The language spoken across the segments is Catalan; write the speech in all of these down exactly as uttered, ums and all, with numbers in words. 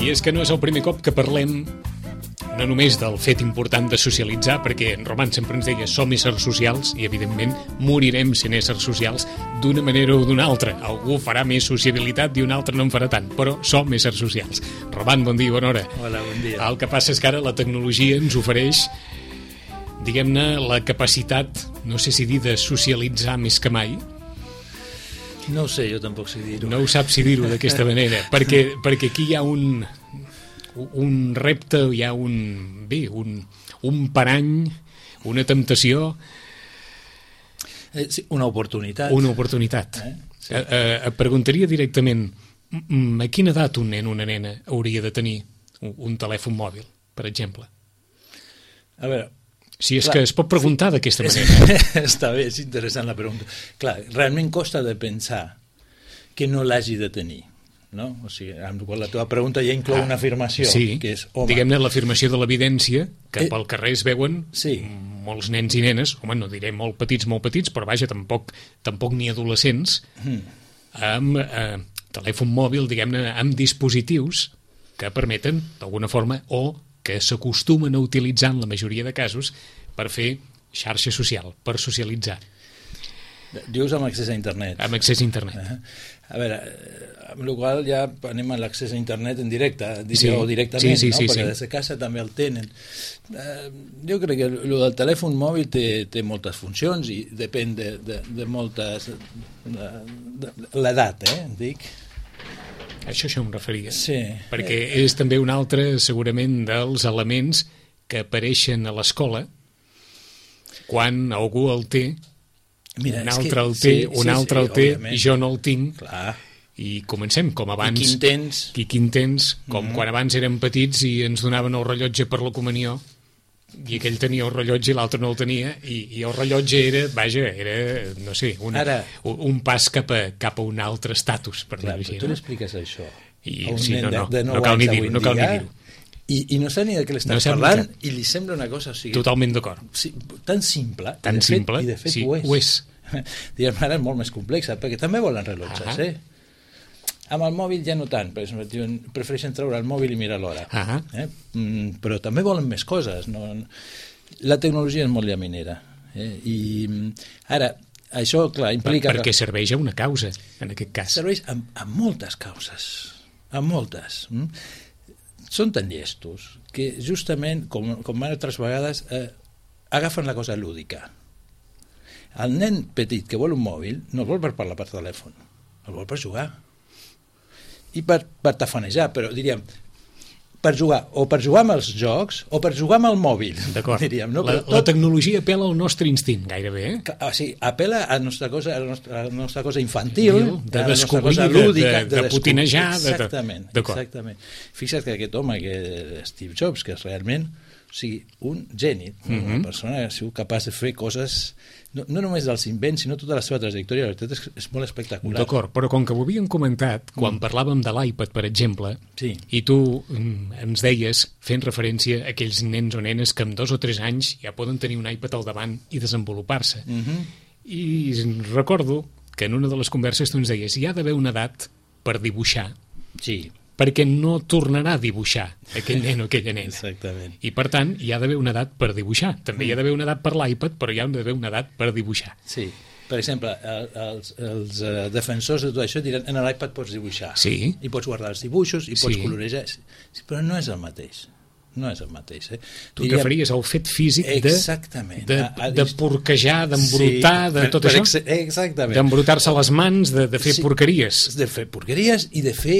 I és que no és el primer cop que parlem no només del fet important de socialitzar, perquè en Roman sempre ens deia som éssers socials i evidentment morirem sent éssers socials d'una manera o d'una altra. Algú farà més sociabilitat i un altre no en farà tant, però som éssers socials. Roman, bon dia, bona hora. Hola, bon dia. El que passa és que ara la tecnologia ens ofereix, diguem-ne, la capacitat, no sé si dir de socialitzar més que mai. No ho sé, jo tampoc sé dir-ho. No ho saps si dir-ho d'aquesta manera, perquè, perquè aquí hi ha un... un repte, hi ha un, bé, un, un parany, una temptació... Eh, sí, una oportunitat. Una oportunitat. Eh? Sí. Eh, eh, et preguntaria directament, a quina edat un nen o una nena hauria de tenir un, un telèfon mòbil, per exemple? A veure... Si és clar, que es pot preguntar sí, d'aquesta és, manera. Està bé, és interessant la pregunta. Clar, realment costa de pensar que no l'hagi de tenir. No? O sigui, amb la teva pregunta ja inclou ah, una afirmació, sí, que és, home... diguem-ne l'afirmació de l'evidència, que eh, pel carrer es veuen sí. molts nens i nenes, home, no diré molt petits, molt petits, però vaja, tampoc, tampoc ni adolescents, mm. amb eh, telèfon mòbil, diguem-ne, amb dispositius que permeten, d'alguna forma, o que s'acostumen a utilitzar en la majoria de casos per fer xarxa social, per socialitzar. Dius amb accés a internet. Amb accés a internet. Uh -huh. A veure, amb la qual ja anem a l'accés a internet en directe, sí. o directament, sí, sí, no? sí, Perquè sí. des de casa també el tenen. Uh, jo crec que el del telèfon mòbil té, té moltes funcions i depèn de, de, de moltes... De, de, de l'edat, eh, dic. Això això em referia. Sí. Perquè és també un altre, segurament, dels elements que apareixen a l'escola quan algú el té, Mira, un altre el té, sí, un sí, altre sí, el té, òbviament. I jo no el tinc. Clar. I comencem, com abans... I quin tens. I quin tens, com mm-hmm. quan abans érem petits i ens donaven el rellotge per la comunió, i aquell tenia el rellotge i l'altre no el tenia, i, i el rellotge era, vaja, era, no sé, una, Ara, un pas cap a, cap a un altre estatus, per dir-ho així. Tu l'expliques això I, a un sí, nen no, no, de, de nou no cal ni anys dir-ho, no cal ni dir-ho. I, I no sap ni de què l'estàs no parlant que... i li sembla una cosa... O sigui, totalment d'acord. Sí, tan simple, tan i de fet, simple, i de fet sí, ho és. Ho és. Diguem, ara és molt més complexa, perquè també volen rellotges, uh -huh. eh? Amb el mòbil ja no tant, perquè prefereixen treure el mòbil i mirar l'hora. Uh -huh. eh? mm, però també volen més coses. No? La tecnologia és molt llaminera. Eh? I ara, això, clar, implica... Per, perquè serveix a una causa, en aquest cas. Serveix a, a moltes causes, a moltes. Mm? Són tan llestos que justament, com, com altres vegades, eh, agafen la cosa lúdica. El nen petit que vol un mòbil no el vol per parlar per telèfon, el vol per jugar. I per, per tafanejar, però diríem, per jugar, o per jugar amb els jocs, o per jugar amb el mòbil. D'acord. Diríem, no? La, tot... la tecnologia apela al nostre instint, gairebé. Eh? O sigui, apela a la nostra cosa, a la nostra, a la nostra cosa infantil, de a la descobrir, cosa lúdica, de, de, de putinejar. Exactament, de, exactament. Fixa't que aquest home, que Steve Jobs, que és realment... O sigui, un geni, una uh-huh. persona que ha sigut capaç de fer coses, no, no només dels invents, sinó tota la seva trajectòria, la veritat és, és molt espectacular. D'acord, però com que ho havíem comentat, quan mm. parlàvem de l'iPad, per exemple, sí. i tu mm, ens deies, fent referència a aquells nens o nenes que amb dos o tres anys ja poden tenir un iPad al davant i desenvolupar-se. Uh-huh. I recordo que en una de les converses tu ens deies, hi ha d'haver una edat per dibuixar. Sí. Perquè no tornarà a dibuixar aquell nen o aquella nena. Exactament. I, per tant, hi ha d'haver una edat per dibuixar. També mm. hi ha d'haver una edat per l'iPad, però hi ha d'haver una edat per dibuixar. Sí. Per exemple, el, els, els uh, defensors de tot això diran en l'iPad pots dibuixar. Sí. I pots guardar els dibuixos, i pots sí. colorejar. Sí, però no és el mateix. No és el mateix. Eh? Tu Diríem... referties al fet físic de, de, de, de porquejar, d'embrutar, sí, de tot per, per això? Exactament. D'embrutar-se les mans, de, de fer sí, porqueries. De fer porqueries i de fer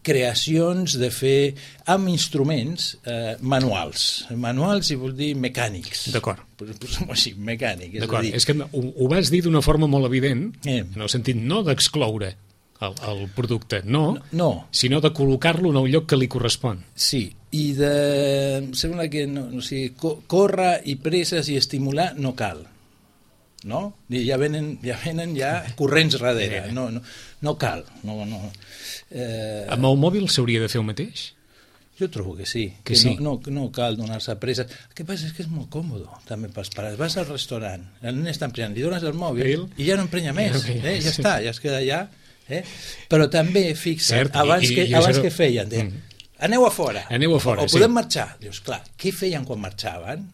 creacions, de fer amb instruments eh, manuals. Manuals i vol dir mecànics. D'acord. Posem-ho així, mecànic. És D'acord, dir... és que ho, ho vas dir d'una forma molt evident, eh. en el sentit no d'excloure el, el producte, no, no, no. sinó de col·locar-lo en el lloc que li correspon. Sí, i de... Em sembla que no, no sé, co córrer i presses i estimular no cal, no? Ja venen ja, venen ja corrents darrere, no, no, no cal. No, no. Eh... Amb el mòbil s'hauria de fer el mateix? Jo trobo que sí, que, que sí. No, no, no cal donar-se presses. El que passa és que és molt còmode també pels pares. Vas al restaurant, el nen està emprenyant, li dones el mòbil el... i ja no emprenya més, ja, eh? ja està, ja es queda allà. Eh? Però també, fixa't, Cert, abans, i, que, i abans que feien, de, mm. aneu a fora. Aneu a fora, o, o podem sí. marxar. Dius, clar, què feien quan marxaven?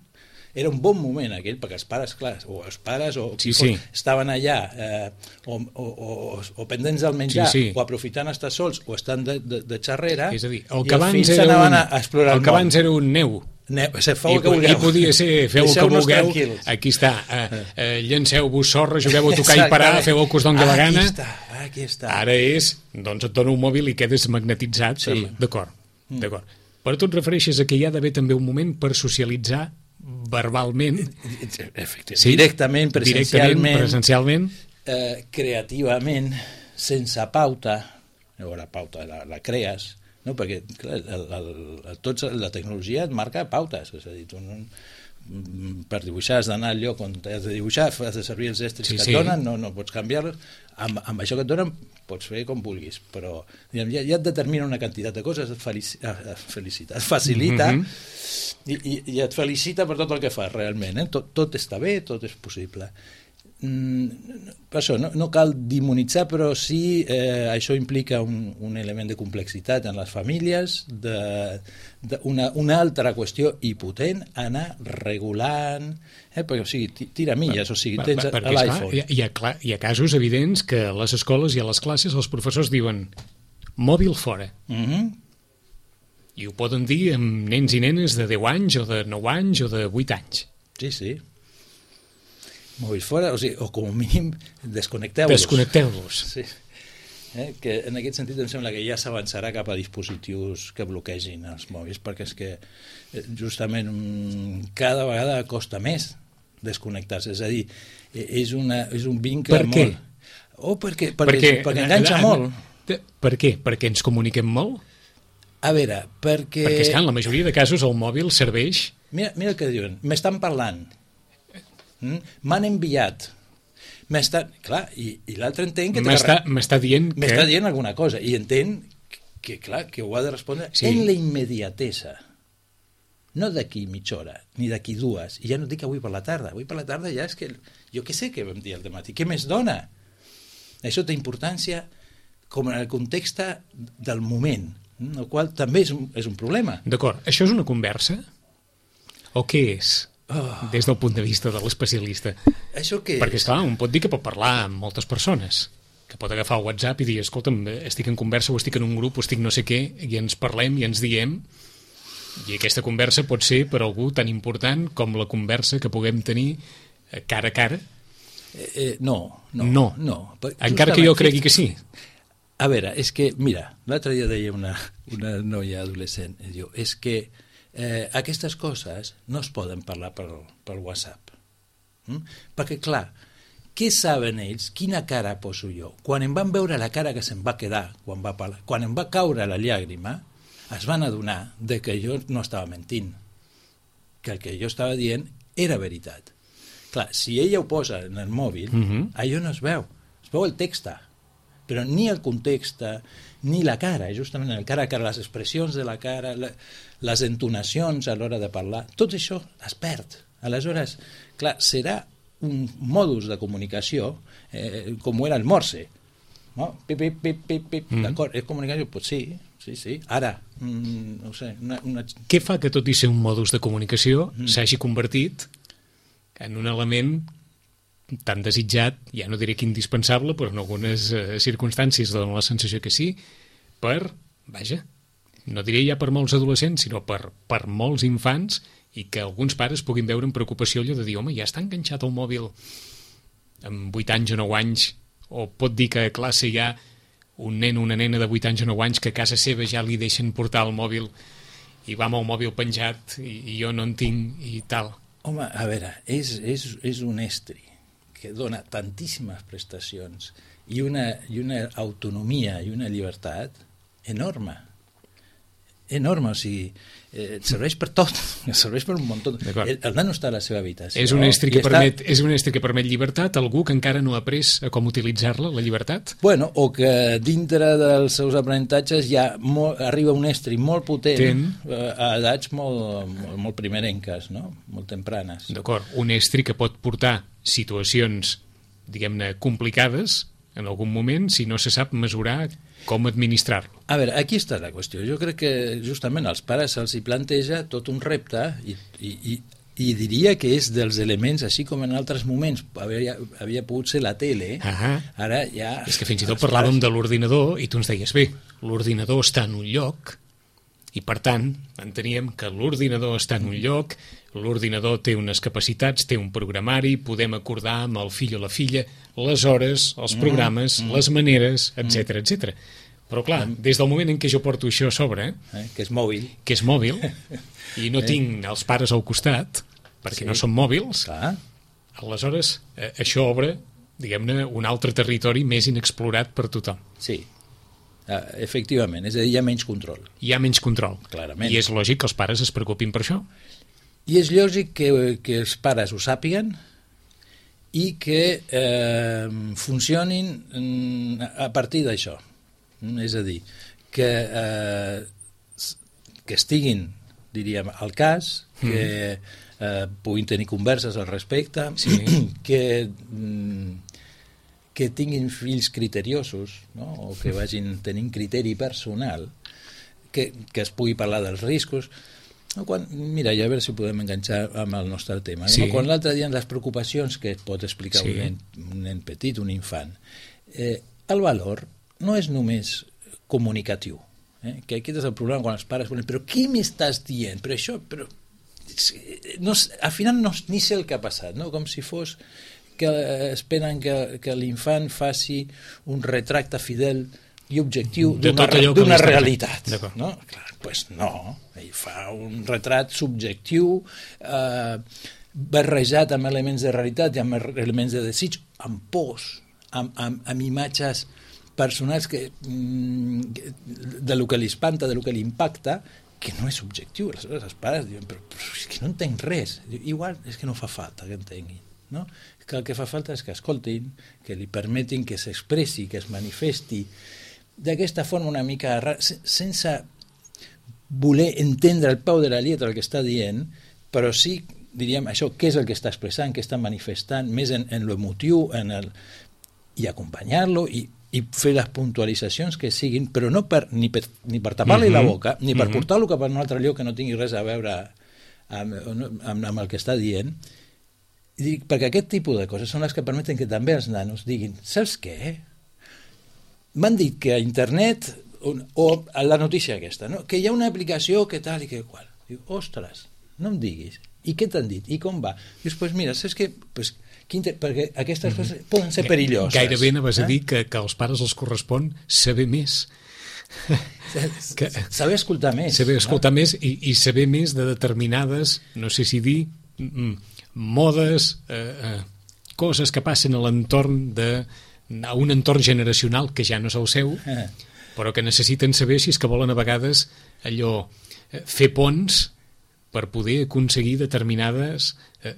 Era un bon moment aquell, perquè els pares, clar, o els pares o sí, sí. estaven allà eh, o, o, o, o pendents del menjar, sí, sí. o aprofitant estar sols, o estan de, de, de xarrera, és a dir, el que abans era un, a explorar el, el que abans era un neu, neu feu I, el que vulgueu. I podia ser, feu el que vulgueu, tranquils. Aquí està, eh, eh, llanceu-vos sorra, jugueu a tocar i parar, feu el que us doni la gana. Aquí està, aquí està. Ara és, doncs et dona un mòbil i quedes magnetitzat, sí. d'acord, mm. d'acord. Però tu et refereixes a que hi ha d'haver també un moment per socialitzar verbalment, sí, directament, presencialment, directament, presencialment. Eh, creativament, sense pauta. Llavors la pauta la, la crees, no? Perquè clar, el, el, el, tots, la tecnologia et marca pautes, és a dir, tu no, per dibuixar has d'anar al lloc on has de dibuixar, has de servir els estris sí, que et sí. donen, no, no pots canviar-los, amb, amb això que et donen pots fer com vulguis, però diguem, ja, ja et determina una quantitat de coses, et felici, felicita, et facilita mm -hmm. i, i, i et felicita per tot el que fas realment, eh? tot, tot està bé, tot és possible. Mm, per això no, no cal demonitzar, però sí eh, això implica un, un element de complexitat en les famílies, de, de una, una altra qüestió i potent, anar regulant, eh, perquè o sigui, tira milles, o sigui, tens a, a l'iPhone. Hi, hi, ha, hi ha casos evidents que a les escoles i a les classes els professors diuen mòbil fora. Mm-hmm. I ho poden dir amb nens i nenes de deu anys o de nou anys o de vuit anys. Sí, sí. Mòbils fora, o sigui, o com a mínim desconnecteu-los. Desconnecteu-los. Sí. Eh, que en aquest sentit em sembla que ja s'avançarà cap a dispositius que bloquegin els mòbils, perquè és que justament cada vegada costa més desconnectar-se, és a dir, és, una, és un vincle per què? molt... Oh, perquè, perquè, perquè, perquè enganxa a, a, molt. Per què? Perquè ens comuniquem molt? A veure, perquè... Perquè és que en la majoria de casos el mòbil serveix... Mira, mira el que diuen, m'estan parlant, mm? m'han enviat, m'està... Clar, i, i l'altre entén que... M'està dient que... M'està dient alguna cosa, i entén que, clar, que ho ha de respondre sí. en la immediatesa. No d'aquí mitja hora, ni d'aquí dues, i ja no dic avui per la tarda, avui per la tarda ja és que... Jo què sé què vam dir al dematí, què més dona? Això té importància com en el context del moment, el qual també és un, és un problema. D'acord, això és una conversa? O què és? Oh. Des del punt de vista de l'especialista. Això què Perquè, és? esclar, un pot dir que pot parlar amb moltes persones, que pot agafar el WhatsApp i dir, escolta'm, estic en conversa o estic en un grup o estic no sé què, i ens parlem i ens diem, i aquesta conversa pot ser per algú tan important com la conversa que puguem tenir cara a cara. Eh, eh, no, no. No. no. Encara que jo cregui que sí. A veure, és que, mira, l'altre dia deia una, una noia adolescent, diu, és que eh, aquestes coses no es poden parlar per, per WhatsApp. Mm? Perquè, clar, què saben ells? Quina cara poso jo? Quan em van veure la cara que se'm va quedar, quan, va parlar, quan em va caure la llàgrima, es van adonar de que jo no estava mentint, que el que jo estava dient era veritat. Clar, si ella ho posa en el mòbil, uh-huh. allò no es veu, es veu el text, però ni el context, ni la cara, justament el cara a cara, les expressions de la cara, la, les entonacions a l'hora de parlar, tot això es perd. Aleshores, clar, serà un modus de comunicació eh, com era el morse. No? Pip, pip, pip, pip, pip. Mm. D'acord, és comunicació? Pues sí, sí, sí. Ara, mm, no sé... Una, una... Què fa que tot i ser un modus de comunicació mm. s'hagi convertit en un element tan desitjat, ja no diré que indispensable, però en algunes eh, circumstàncies donen la sensació que sí, per, vaja, no diré ja per molts adolescents, sinó per, per molts infants, i que alguns pares puguin veure amb preocupació allò de dir, home, ja està enganxat el mòbil amb vuit anys o nou anys, o pot dir que a classe hi ha un nen o una nena de vuit anys o nou anys que a casa seva ja li deixen portar el mòbil i va amb el mòbil penjat i, i jo no en tinc i tal. Home, a veure, és, és, és un estri que dona tantíssimes prestacions i una, i una autonomia i una llibertat enorme. Enorme, o sigui, eh, serveix per tot, serveix per un munt. El, el nano està a la seva habitació. És un estri que, permet, està... és un estri que permet llibertat, algú que encara no ha après a com utilitzar-la, la llibertat? Bueno, o que dintre dels seus aprenentatges ja molt, arriba un estri molt potent Ten... a edats molt, molt, molt primerenques, no? Molt tempranes. D'acord, un estri que pot portar situacions, diguem-ne, complicades en algun moment si no se sap mesurar com administrar-lo. A veure, aquí està la qüestió. Jo crec que justament als pares se'ls hi planteja tot un repte i, i, i, i diria que és dels elements, així com en altres moments havia, havia pogut ser la tele, ah, ara ja... És que fins i tot parlàvem de l'ordinador i tu ens deies, bé, l'ordinador està en un lloc i per tant enteníem que l'ordinador està en un lloc, l'ordinador té unes capacitats, té un programari, podem acordar amb el fill o la filla les hores, els programes, mm, mm. les maneres, etcètera, etcètera. Però clar, des del moment en què jo porto això a sobre, eh, que és mòbil, que és mòbil, i no eh. tinc els pares al costat, perquè sí. no són mòbils, clar. Aleshores eh, això obre, diguem-ne, un altre territori més inexplorat per tothom. Sí, uh, efectivament, és a dir, hi ha menys control. Hi ha menys control. Clarament. I és lògic que els pares es preocupin per això. I és lògic que, que els pares ho sàpiguen i que eh, funcionin a partir d'això. És a dir, que, eh, que estiguin, diríem, al cas, que eh, puguin tenir converses al respecte, sí. que, que tinguin fills criteriosos, no? O que vagin tenint criteri personal, que, que es pugui parlar dels riscos. Quan, mira, ja a veure si podem enganxar amb el nostre tema. Sí. No? Quan l'altre dia les preocupacions que pot explicar sí. un, nen, un nen petit, un infant, eh, el valor no és només comunicatiu. Eh? Que aquest és el problema quan els pares volen, però què m'estàs dient? Però això, però... No, al final no, ni sé el que ha passat, no? Com si fos que eh, esperen que, que l'infant faci un retracte fidel i objectiu d'una realitat. No? Clar, pues no, ell fa un retrat subjectiu eh, barrejat amb elements de realitat i amb elements de desig, amb pors, amb, amb, amb imatges personals que, de lo que li espanta, de lo que li impacta, que no és subjectiu. Aleshores els pares diuen, però, però és que no entenc res. Igual és que no fa falta que entenguin. No? Que el que fa falta és que escoltin, que li permetin que s'expressi, que es manifesti d'aquesta forma una mica sense voler entendre el peu de la lletra el que està dient, però sí, diríem, això, què és el que està expressant, què està manifestant, més en, en l'emotiu, en el... i acompanyar-lo i, i fer les puntualitzacions que siguin, però no per, ni per, ni per tapar-li mm-hmm. la boca, ni per mm-hmm. portar-lo cap a un altre lloc que no tingui res a veure amb, amb, amb el que està dient. I dic, perquè aquest tipus de coses són les que permeten que també els nanos diguin, saps què? M'han dit que a internet, o, o a la notícia aquesta, no? Que hi ha una aplicació que tal i que qual. Diu, ostres, no em diguis. I què t'han dit? I com va? Dius, doncs pues mira, saps què? Pues, inter... perquè aquestes mm-hmm. coses poden ser perilloses. Gairebé anaves eh? a dir que, que als pares els correspon saber més. que, saber escoltar més. Saber escoltar no? més i, i saber més de determinades, no sé si dir, modes, eh, eh, coses que passen a l'entorn de a un entorn generacional que ja no és el seu, eh. però que necessiten saber si és que volen a vegades allò eh, fer ponts per poder aconseguir determinades eh,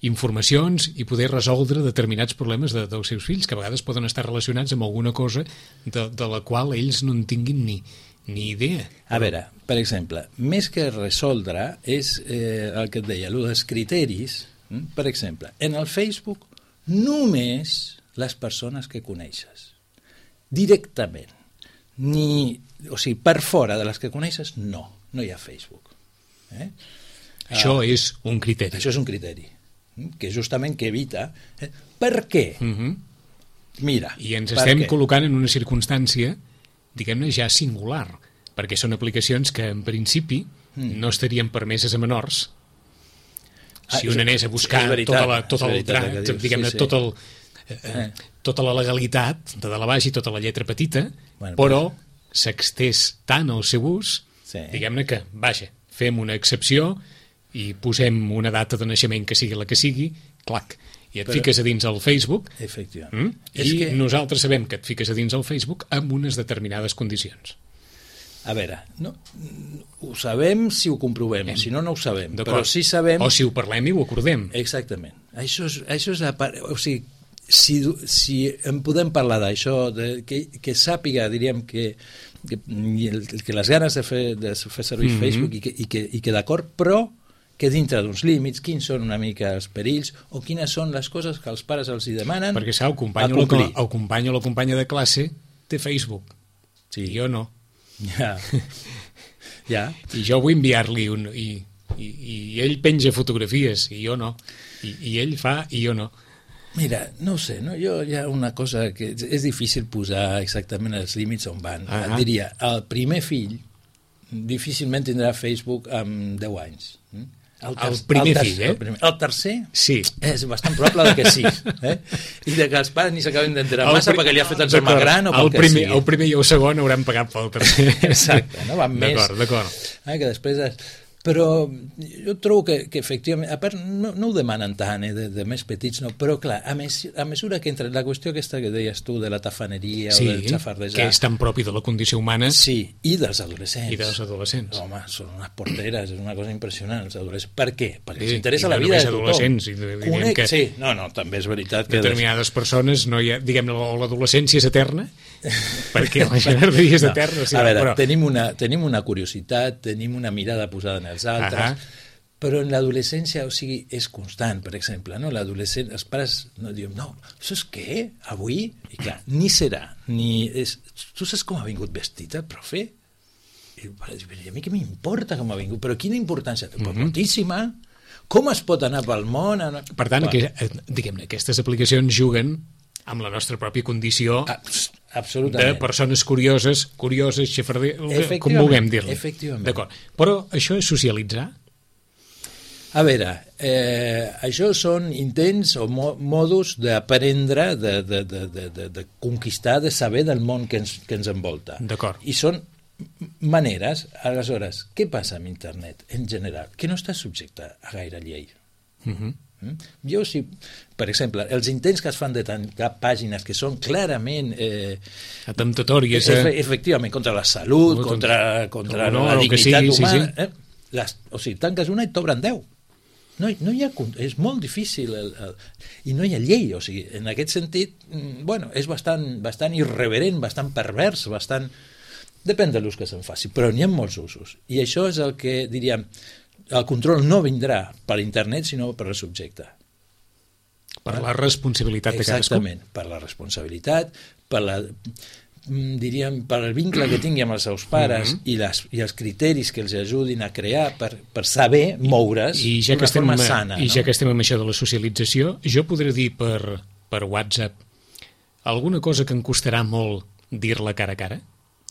informacions i poder resoldre determinats problemes de, dels seus fills, que a vegades poden estar relacionats amb alguna cosa de, de la qual ells no en tinguin ni, ni idea. A veure, per exemple, més que resoldre és eh, el que et deia, el dels criteris. Mm? Per exemple, en el Facebook només les persones que coneixes directament, ni, o sigui, per fora de les que coneixes, no, no hi ha Facebook. Eh? Això uh, és un criteri. Això és un criteri, que justament que evita... Eh? Per què? Uh-huh. Mira, I ens estem què? col·locant en una circumstància, diguem-ne, ja singular, perquè són aplicacions que, en principi, mm. no estarien permeses a menors. Si ah, un anés a buscar veritat, tota la, tot el tràmit, diguem-ne, sí, sí. tot el... Eh, tota la legalitat de dalt a baix i tota la lletra petita, bueno, però s'extés tant el seu ús, sí. diguem-ne que, vaja, fem una excepció i posem una data de naixement que sigui la que sigui, clac, i et però, fiques a dins el Facebook, mm? i que... nosaltres sabem que et fiques a dins el Facebook amb unes determinades condicions. A veure, no, ho sabem si ho comprovem, Hem. si no, no ho sabem, però sí sabem... O si ho parlem i ho acordem. Exactament. Això és, això és la part... O sigui, Si, si en podem parlar d'això, que, que sàpiga, diríem, que, que, que les ganes de fer, de fer servir mm-hmm. Facebook i que, i que, i que d'acord, però que dintre d'uns límits, quins són una mica els perills o quines són les coses que els pares els hi demanen. Perquè, saps, el company, o la, el company o la companya de classe té Facebook. Sí. I jo no. Ja. ja. I jo vull enviar-li un... I, i, i ell penja fotografies i jo no. I, i ell fa i jo no. Mira, no ho sé, no? Jo hi ha una cosa que és difícil posar exactament els límits on van. Ah, ah. Diria, el primer fill difícilment tindrà Facebook amb deu anys. El, ter el primer el fill, eh? El, primer. el tercer sí. és bastant probable que sí. Eh? I de que els pares ni s'acaben d'enterar massa perquè li ha fet el germà gran o pel que primer, sigui. El primer i el segon hauran pagat pel tercer. Exacte, no? Van més. D'acord, d'acord. Eh, que després... És... Però jo trobo que, que efectivament, a part no, no ho demanen tant, eh, de, de més petits, no, però clar, a, mes, a mesura que entra la qüestió aquesta que deies tu de la tafaneria sí, o del xafardejar... que és tan propi de la condició humana. Sí, i dels adolescents. I dels adolescents. Home, són unes porteres, és una cosa impressionant, els adolescents. Per què? Perquè sí, els interessa la vida de tothom. Adolescents, i Conec, que sí, no, no, també és veritat que... Determinades persones, no hi ha, diguem, l'adolescència és eterna, perquè la xafarderia és no, eterna. Sí, a veure, però... tenim, una, tenim una curiositat, tenim una mirada posada en els altres... Ahà. Però en l'adolescència, o sigui, és constant, per exemple, no? L'adolescent, els pares no diuen, no, saps què? Avui? I clar, ni serà, ni... És... Tu saps com ha vingut vestit el profe? I, I a mi què m'importa com ha vingut? Però quina importància? Mm -hmm. Moltíssima. Com es pot anar pel món? Per tant, que, diguem-ne, aquestes aplicacions juguen amb la nostra pròpia condició Absolutament. de persones curioses, curioses, xafarder, com vulguem dir-li. Efectivament. D'acord. Però això és socialitzar? A veure, eh, això són intents o mo modus d'aprendre, de, de, de, de, de, de conquistar, de saber del món que ens, que ens envolta. D'acord. I són maneres. Aleshores, què passa amb internet en general? Que no està subjecte a gaire llei. Uh -huh. mm? Jo, si, per exemple, els intents que es fan de tancar pàgines que són clarament... Eh, atemptatòries. Eh? Efectivament, contra la salut, no, contra, contra no, la dignitat sigui, humana... Sí, sí. Eh? Les, o sigui, tanques una i t'obren deu. No, no hi ha, és molt difícil el, el, i no hi ha llei, o sigui, en aquest sentit, bueno, és bastant, bastant irreverent, bastant pervers, bastant... Depèn de l'ús que se'n faci, però n'hi ha molts usos. I això és el que, diríem, el control no vindrà per internet, sinó per el subjecte. Per la responsabilitat de cadascú. Exactament, per la responsabilitat, per la... diríem, per el vincle que tingui amb els seus pares mm -hmm. i, les, i els criteris que els ajudin a crear per, per saber moure's I, i ja d'una forma estem, sana. I no? ja que estem amb això de la socialització, jo podré dir per, per WhatsApp alguna cosa que em costarà molt dir-la cara a cara?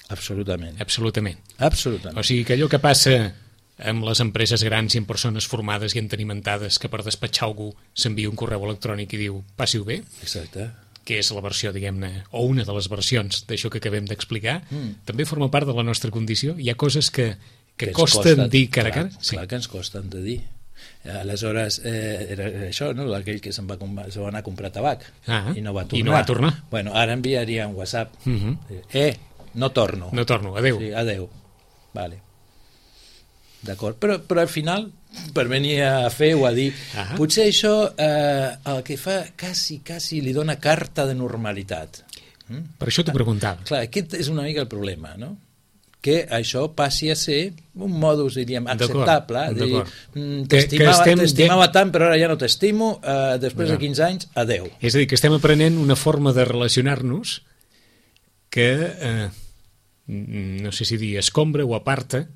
Absolutament. Absolutament. Absolutament. O sigui, que allò que passa amb les empreses grans i amb persones formades i entenimentades que per despatxar algú s'envia un correu electrònic i diu passi-ho bé. Exacte. Que és la versió, diguem-ne, o una de les versions d'això que acabem d'explicar, mm. també forma part de la nostra condició. Hi ha coses que, que, que costen costa, dir cara a cara. Clar, sí. clar que ens costen de dir. Aleshores, eh, era això, no? Aquell que se'n va, se va anar a comprar tabac ah, i no va tornar. I no va tornar. Bueno, ara enviaria un WhatsApp. Uh -huh. Eh, no torno. No torno, adeu. Sí, adeu. Vale. D'acord, però, però al final, per venir a fer o a dir, ah. potser això eh, el que fa quasi, quasi li dona carta de normalitat. Mm? Per això t'ho preguntava. Clar, aquest és una mica el problema, no? Que això passi a ser un modus, diríem, acceptable. T'estimava tant, però ara ja no t'estimo, eh, després no. de quinze anys, adeu. És a dir, que estem aprenent una forma de relacionar-nos que, eh, no sé si dir, escombra o aparta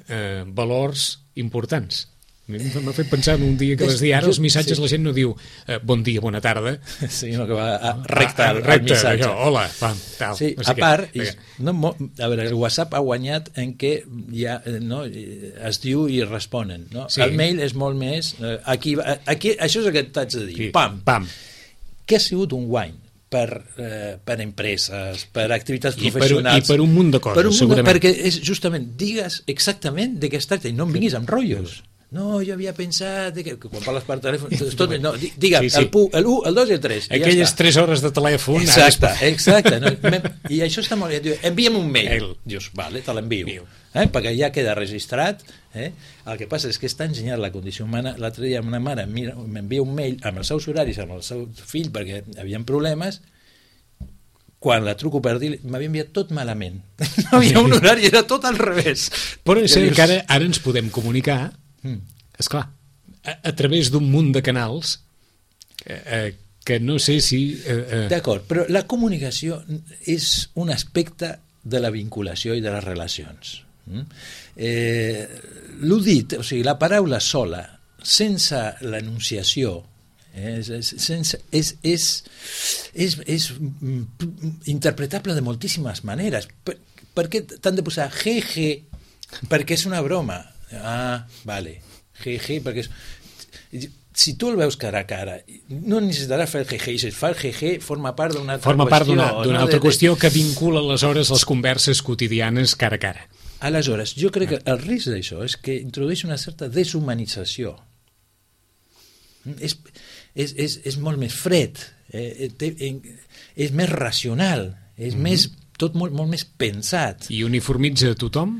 eh, valors importants. M'ha fet pensar en un dia que vas dir ara els missatges, sí. La gent no diu eh, bon dia, bona tarda, sinó que va a recta al ah, missatge. Allò, hola, pam, tal. Sí, no sé a part, i, no, a veure, el WhatsApp ha guanyat en què ja, no, es diu i responen. No? Sí. El mail és molt més... Eh, aquí, aquí, això és el que t'haig de dir. Sí. Pam. Pam. Què ha sigut un guany? Per, eh, per empreses, per activitats I professionals... Per, I per un munt de coses, per un segurament. De, perquè és justament, digues exactament de què es tracta i no em vinguis amb rotllos. No, jo havia pensat que, que quan parles per telèfon tot, no, digue'm, sí, sí. el u, el u, el dos i el tres aquelles ja tres hores de telèfon exacte, exacte no? I això està molt bé, envia'm un mail el... dius, vale, te l'envio eh? Perquè ja queda registrat eh? El que passa és que és tan genial la condició humana. L'altre dia una mare m'envia un mail amb els seus horaris, amb el seu fill perquè havien problemes. Quan la truco per dir, m'havia enviat tot malament, no havia un horari, era tot al revés. Però és dius... que ara, ara ens podem comunicar esclar, a, a través d'un munt de canals eh, eh, que no sé si... Eh, eh... D'acord, però la comunicació és un aspecte de la vinculació i de les relacions. Mm? Eh, l'ho dit, o sigui, la paraula sola, sense l'enunciació, eh, és, sense, és, és, és, és interpretable de moltíssimes maneres. Per, per què t'han de posar jeje? Perquè és una broma. Ah, vale, jeje, perquè és... Si tu el veus cara a cara, no necessitaràs fer el jeje, i si es fa el jeje forma part d'una altra forma qüestió. Forma part d'una no? altra de, qüestió que vincula aleshores les converses quotidianes cara a cara. Aleshores, jo crec que el risc d'això és que introdueix una certa deshumanització. És, és, és, és molt més fred, eh, té, és més racional, és mm-hmm. més, tot molt, molt més pensat. I uniformitza a tothom?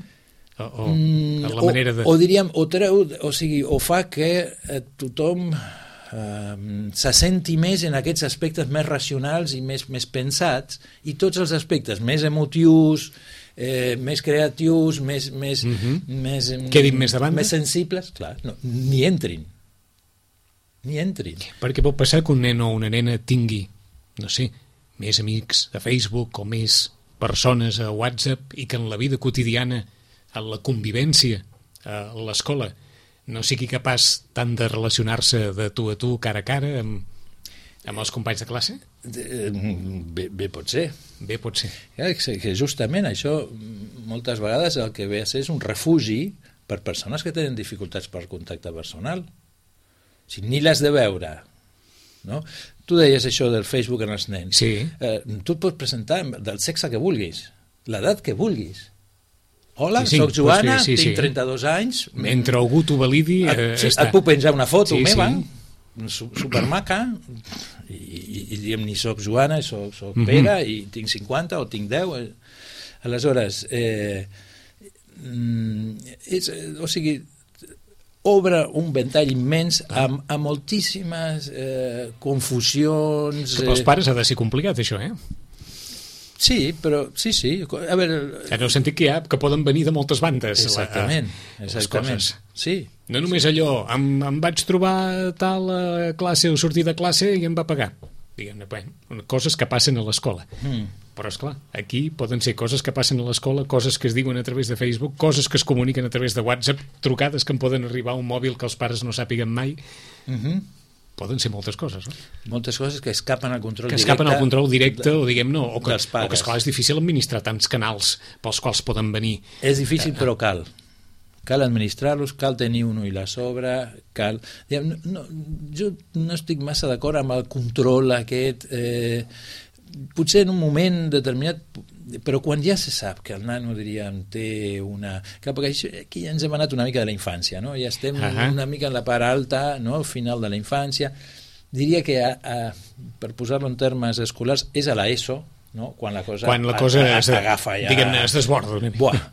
O, o, mm, la manera de... o, o diríem, o, treu, o, sigui, o fa que eh, tothom eh, se senti més en aquests aspectes més racionals i més, més pensats, i tots els aspectes més emotius, eh, més creatius, més, més, mm-hmm. més, quedin més de banda, més sensibles, clar, no, ni entrin. Ni entrin. Perquè pot passar que un nen o una nena tingui, no sé, més amics a Facebook o més persones a WhatsApp i que en la vida quotidiana, en la convivència a l'escola, no sigui capaç tant de relacionar-se de tu a tu, cara a cara, amb, amb els companys de classe? Bé, bé pot ser. Bé pot ser. Que justament això moltes vegades el que ve a ser és un refugi per persones que tenen dificultats per contacte personal. O sigui, ni l'has de veure, no? Tu deies això del Facebook en els nens. Sí. Eh, tu et pots presentar del sexe que vulguis, l'edat que vulguis. Hola, sí, sí, soc Joana, sí, sí, tinc sí. trenta-dos anys. Mentre algú t'ho validi... Eh, sí, està. et puc penjar una foto sí, meva, sí. supermaca, i, i, i diem ni soc Joana, soc, soc Pere, mm-hmm. i tinc cinquanta o tinc deu. Aleshores, eh, és, o sigui, obre un ventall immens amb, amb moltíssimes eh, confusions... Que pels pares ha de ser complicat, això, eh? Sí, però sí, sí. A veure... En el sentit que hi ha, que poden venir de moltes bandes. Exactament, la, exactament. Sí. No només allò, em, em vaig trobar tal a classe o sortir de classe i em va pagar. Diguem-ne, bueno, coses que passen a l'escola. Mm. Però, esclar, aquí poden ser coses que passen a l'escola, coses que es diuen a través de Facebook, coses que es comuniquen a través de WhatsApp, trucades que en poden arribar a un mòbil que els pares no sàpiguen mai. Mm-hmm. Poden ser moltes coses, no? Moltes coses que escapen al control que directe. Que escapen al control directe, o diguem-ne, o que, dels pares. O que, esclar, és difícil administrar tants canals pels quals poden venir. És difícil, eh, però cal. Cal administrar-los, cal tenir un ull a sobre, cal... No, no, jo no estic massa d'acord amb el control aquest... Eh, potser en un moment determinat, però quan ja se sap que el nano, diríem, té una... Clar, perquè aquí ja ens hem anat una mica de la infància, no? Ja estem uh-huh. una mica en la part alta, no? Al final de la infància. Diria que, a, a, per posar-lo en termes escolars, és a l'ESO, no? Quan la cosa, quan la cosa a, a, es, agafa ja... Diguem-ne, es desborda una mica. Buah,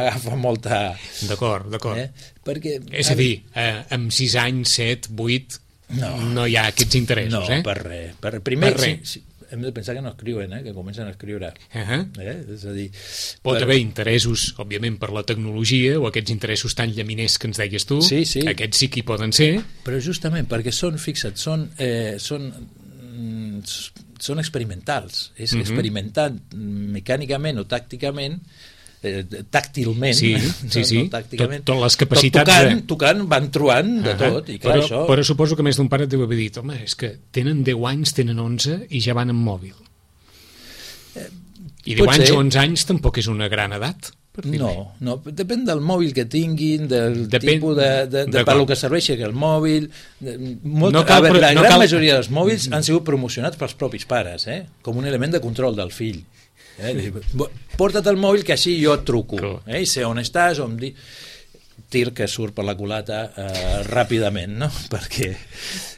agafa molta... D'acord, d'acord. Eh? Perquè... És a dir, eh, amb sis anys, set, vuit, no, no hi ha aquests interessos, no, eh? No, per res. Per, primer, per res. Sí, sí, hem de pensar que no escriuen, eh? Que comencen a escriure. Uh-huh. Eh? És a dir... Pot per... haver interessos, òbviament, per la tecnologia, o aquests interessos tan llaminers que ens deies tu, sí, sí. Aquests sí que hi poden ser. Però justament perquè són, fixa't, són, eh, són, mm, són experimentals. És uh-huh. experimentant mecànicament o tàcticament, eh, tàctilment, sí, sí, sí. no tàcticament, tot, tot les capacitats tot tocant, de... tocant van trobant de uh-huh. tot, i clar, però, això... Però suposo que més d'un pare et deu haver dit, home, és que tenen deu anys, tenen onze i ja van amb mòbil. Eh, I deu anys o onze anys tampoc és una gran edat. No, no, depèn del mòbil que tinguin, del depèn, tipus de, de, de per lo que serveixi el mòbil. De, molt, no cal, a veure, la no gran cal... majoria dels mòbils han sigut promocionats pels propis pares, eh? Com un element de control del fill. Eh? Porta't el mòbil que així jo et truco, eh? I sé on estàs, on di... tir que surt per la culata eh, ràpidament, no? Perquè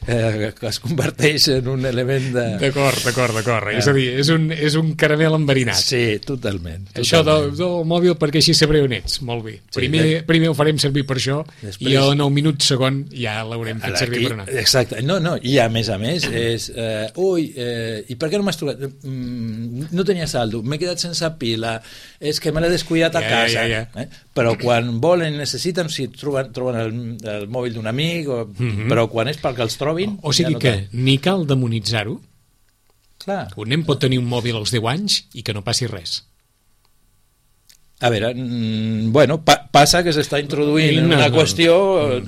eh, es converteix en un element de... D'acord, d'acord, d'acord. Eh. És a dir, és un, és un caramel enverinat. Sí, totalment. totalment. Això del, del mòbil perquè així sabré on ets. Molt bé. Sí, primer, de... primer ho farem servir per això. Després... I a nou minuts segon ja l'haurem fet servir per anar. Exacte. No, no. I a més a més és... Eh, ui, eh, i per què no m'has trucat? Mm, no tenia saldo, m'he quedat sense pila, és que me l'he descuidat a ja, casa. Ja, ja. Eh? Però quan volen, necessiten detecten si troben, troben el, el mòbil d'un amic, o, Mhm. però quan és perquè els trobin... O sigui ja no que tant. ni cal demonitzar-ho. Clar. Un nen pot tenir un mòbil als deu anys i que no passi res. A veure, mm, bueno, pa passa que s'està introduint No, una no. qüestió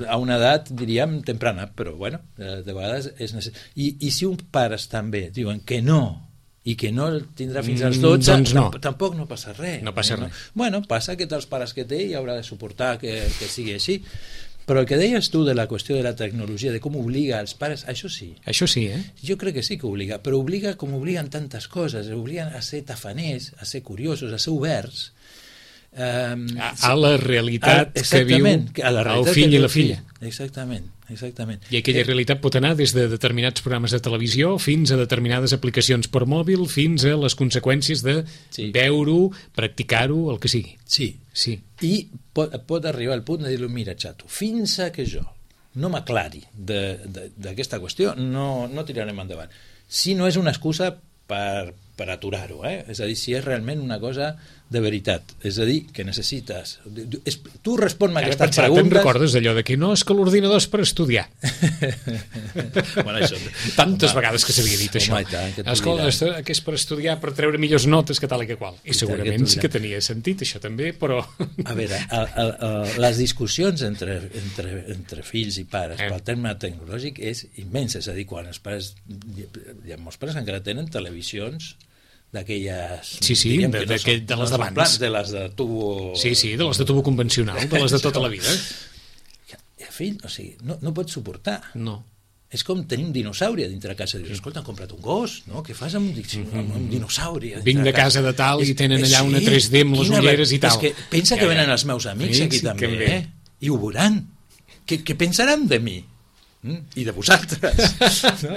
a una edat, diríem, temprana, però bueno, de vegades és necessari. I, I si uns pares també diuen que no, i que no el tindrà fins als dotze, Mm, doncs no. tamp tampoc no passa res. No passa no? res. Bueno, passa que dels pares que té i haurà de suportar que, que sigui així. Però el que deies tu de la qüestió de la tecnologia, de com obliga als pares, això sí, Això sí, eh? jo crec que sí que obliga, però obliga com obliguen tantes coses, obliguen a ser tafaners, a ser curiosos, a ser oberts, Um, A, a la realitat a, que viu que a la el realitat fill que i la viu el fill. filla. Exactament, exactament. I aquella Eh, realitat pot anar des de determinats programes de televisió fins a determinades aplicacions per mòbil, fins a les conseqüències de Sí. veure-ho, practicar-ho, el que sigui. Sí, Sí. i pot, pot arribar al punt de dir-lo, mira, xato, fins a que jo no m'aclari d'aquesta qüestió, no, no tirarem endavant. Si no és una excusa per, per aturar-ho, eh? És a dir, si és realment una cosa de veritat, és a dir, que necessites... És, tu respon-me Has aquestes pensat, preguntes... te'n recordes d'allò de que no, és que l'ordinador és per estudiar. bueno, això, Tantes home, vegades que s'havia dit això. home, i tant, que t'ho Escolta, diran. que és per estudiar, per treure millors notes, que tal i que qual. I tant, segurament que t'ho sí que diran. tenia sentit, això també, però... A veure, el, el, el, les discussions entre, entre, entre fills i pares Eh. pel terme tecnològic és immens, és a dir, quan els pares, hi ha molts pares que encara tenen televisions d'aquelles... Sí, sí, diríem de- que no d'aquell- són- de les no són d'abans. plans, de les de tubo... Sí, sí, de les de tubo convencional, de les de tota la vida. El fill, o sigui, no, no pot suportar. No. És com tenir un dinosauri a dintre de casa. Dius, escolta, han comprat un gos, no? Què fas amb un, amb un dinosauri? a dintre Vinc de casa de tal i És- tenen és- allà una tres D amb les quina ulleres i ver- tal. És que pensa Ja, que ja. venen els meus amics Sí, aquí sí, també, que em ve. eh? I ho veuran. Què, què pensaran de mi? Mm? I de vosaltres. no?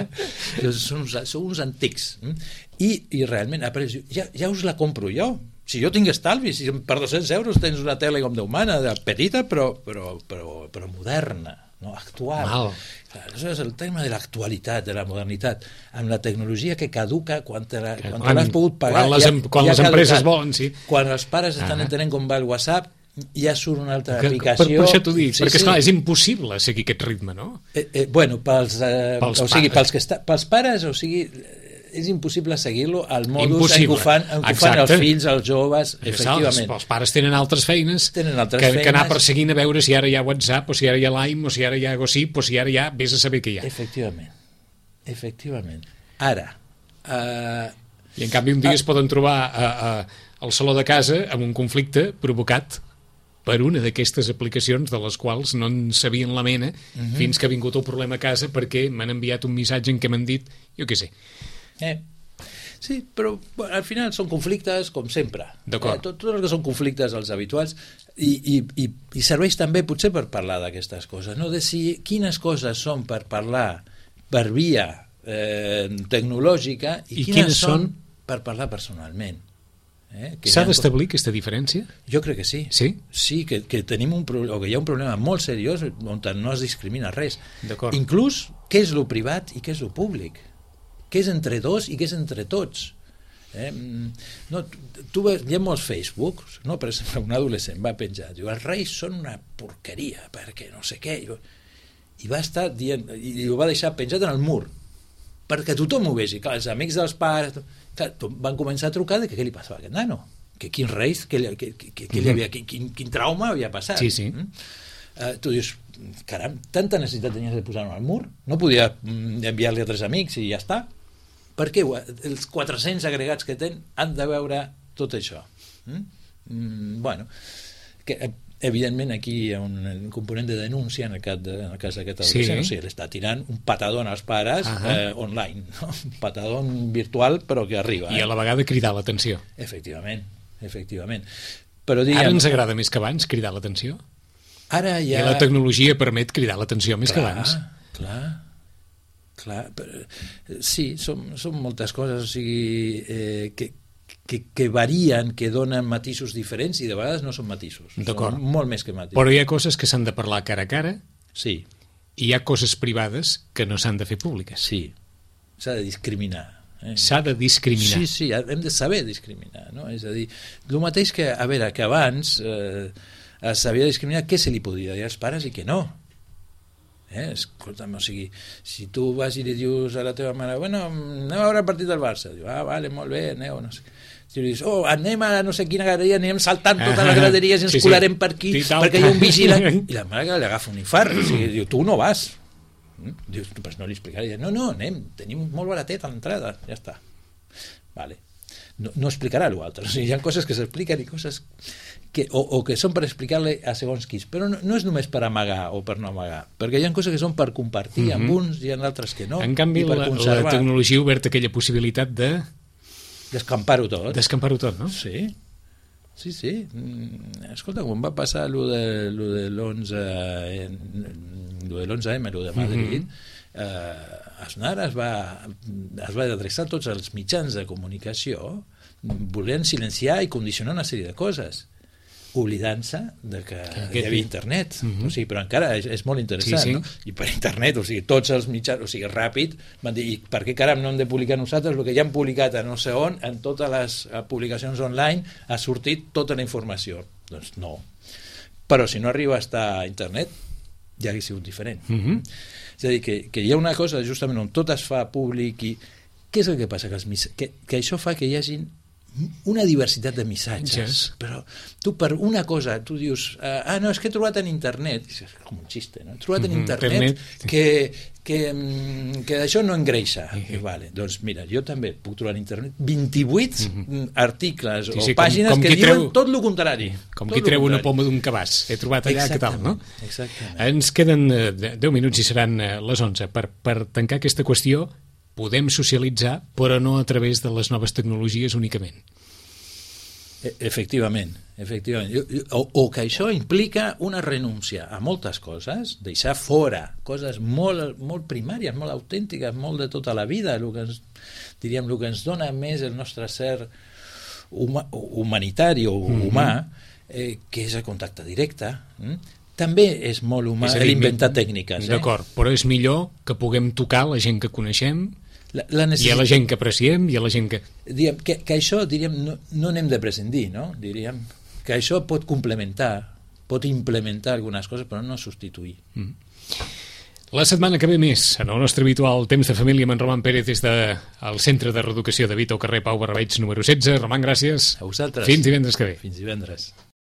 Doncs són, uns, són uns antics. Mm? I, I realment, après, ja, ja us la compro jo. Si jo tinc estalvi, si per dos-cents euros tens una tele com Déu mana, de petita, però, però, però, però moderna, no? Actual. Mal. Clar, això és el tema de l'actualitat, de la modernitat, amb la tecnologia que caduca quan te la- quan te Quan- l'has pogut pagar. quan les em- quan les ha empreses caducat. volen, sí. Quan els pares estan Ah. entenent com va el WhatsApp, ja surt una altra Que, per, aplicació. per això t'ho dic, Sí, perquè sí. esclar, és impossible seguir aquest ritme, no? Eh, eh, bueno, pels, eh, Pels o sigui, pares. pels, que està, pels pares, o sigui, eh, és impossible seguir-lo al modus en Impossible. què ho fan, en què ho fan Exacte. els fills, els joves, Els, efectivament. els pares tenen altres feines, Tenen altres que, que anar feines. perseguint a veure si ara hi ha WhatsApp, o si ara hi ha Lime, o si ara hi ha Gossip, o si ara hi ha... Vés a saber què hi ha. Efectivament. Efectivament. Ara, eh, I en canvi un dia Ah. es poden trobar a, a, al saló de casa amb un conflicte provocat per una d'aquestes aplicacions de les quals no en sabien la mena Mhm. fins que ha vingut el problema a casa perquè m'han enviat un missatge en què m'han dit, jo què sé. Eh. Sí, però bueno, al final són conflictes com sempre. D'acord. Eh, tot, tot el que són conflictes els habituals i, i, i, i serveix també potser per parlar d'aquestes coses, no? De si quines coses són per parlar per via eh, tecnològica i, I quines, quines són són per parlar personalment. Eh? Que S'ha hi ha- d'establir aquesta diferència? Jo crec que sí. Sí? Sí, que, que tenim un problema, o que hi ha un problema molt seriós on no es discrimina res. D'acord. Inclús què és lo privat i què és lo públic. Què és entre dos i què és entre tots. Eh? Mm, No, tu, tu veus, hi ha molts Facebooks, no? Per exemple, un adolescent va penjar, diu, els reis són una porqueria, perquè no sé què, i, i va estar dient, i ho va deixar penjat en el mur, perquè tothom ho vegi, clar, els amics dels pares, clar, van començar a trucar de que què li passava a aquest nano, que quins reis, que, li- que, que, que li havia, quin, quin trauma havia passat. Sí, sí. Mm? Uh, tu dius, caram, tanta necessitat tenies de posar-ho al mur? No podia mm, enviar-li a tres amics i ja està? Per què els quatre-cents agregats que tenen han de veure tot això? Mm? Mm, bueno, que, eh, evidentment aquí hi ha un, un component de denúncia en el cas, de, en el cas d'aquest adolescent, Sí. o sigui, l'està tirant un patadón als pares Ahà. eh, online, no? Un patadón virtual però que arriba. I Eh? a la vegada cridar l'atenció. Efectivament, efectivament. Però Ara diguem, ens agrada més que abans cridar l'atenció? ara I ja... la tecnologia permet cridar l'atenció més que Clar, abans. clar, clar, però, eh, sí, són, són moltes coses, o sigui, eh, que, que, que varien, que donen matisos diferents i de vegades no són matisos, D'acord. són molt més que matisos. Però hi ha coses que s'han de parlar cara a cara Sí, i hi ha coses privades que no s'han de fer públiques. sí, s'ha de discriminar. Eh? S'ha de discriminar. Sí, sí, hem de saber discriminar, no? És a dir, el mateix que, a veure, que abans, eh, sabia discriminar què se li podia dir als pares i què no. Eh? Escolta'm, o sigui, si tu vas i li dius a la teva mare, bueno, anem a veure el partit del Barça, diu, ah, vale, molt bé, aneu, no sé. Si li dius, oh, anem a no sé quina graderia, anem saltant totes les graderies i ens sí, colarem sí. per aquí, sí, perquè hi ha un vigilant, i la mare que li agafa un infart, o sigui, diu, tu no vas. Dius, pues no li explicaré, no, no, anem, tenim molt baratet a l'entrada, ja està. Vale. No, no explicarà l'altre, o sigui, hi ha coses que s'expliquen i coses que, o, o que són per explicar-li a segons quins, però no, no és només per amagar o per no amagar, perquè hi ha coses que són per compartir mm-hmm. amb uns i amb altres que no. En canvi, la, la tecnologia ha obert aquella possibilitat de... d'escampar-ho tot. D'escampar-ho tot, no? Sí, sí, sí. Escolta, quan va passar allò de, lo de l'onze lo de l'onze eme, lo de Madrid, mm-hmm. eh, Aznar es va, es va adreçar a tots els mitjans de comunicació volent silenciar i condicionar una sèrie de coses, oblidant-se de que hi havia internet. Mm-hmm. O sigui, però encara és, és molt interessant, sí, sí. no? I per internet, o sigui, tots els mitjans, o sigui, ràpid, van dir, i per què caram no hem de publicar nosaltres el que ja hem publicat a no sé on, en totes les publicacions online ha sortit tota la informació? Doncs no. Però si no arriba a estar a internet, ja hauria sigut diferent. Mm-hmm. És a dir, que, que hi ha una cosa justament on tot es fa públic i què és el que passa? Que, els, que, que això fa que hi hagi una diversitat de missatges, yes. però tu per una cosa tu dius, uh, ah no, és que he trobat en internet, és com un xiste, no? He trobat en internet, internet que, que, que d'això no engreixa. Uh-huh. I, vale, doncs mira, jo també puc trobar en internet vint-i-vuit uh-huh. articles sí, sí, o pàgines com, com que diuen treu, tot el contrari. Com qui treu una poma d'un cabàs. He trobat allà, què tal, no? Exactament. Ens queden deu minuts i seran les onze. Per, per tancar aquesta qüestió, podem socialitzar, però no a través de les noves tecnologies únicament. Efectivament, efectivament. O, o que això implica una renúncia a moltes coses, deixar fora coses molt, molt primàries, molt autèntiques, molt de tota la vida, el que ens, diríem, el que ens dona més el nostre ser huma, humanitari o humà, mm-hmm. eh, que és el contacte directe. Mm? També és molt humà l'inventar tècniques. Eh? D'acord, però és millor que puguem tocar la gent que coneixem, la, la necessit... hi ha la gent que apreciem, hi ha la gent que... Diguem, que, que això, diríem, no, no n'hem de prescindir, no? Diríem que això pot complementar, pot implementar algunes coses, però no substituir. Mm. La setmana que ve més, en el nostre habitual Temps de Família, amb en Roman Pérez des del de, Centre de Reeducació de Vita, al carrer Pau Barrabeig, número setze. Roman, gràcies. A vosaltres. Fins divendres que ve. Fins divendres.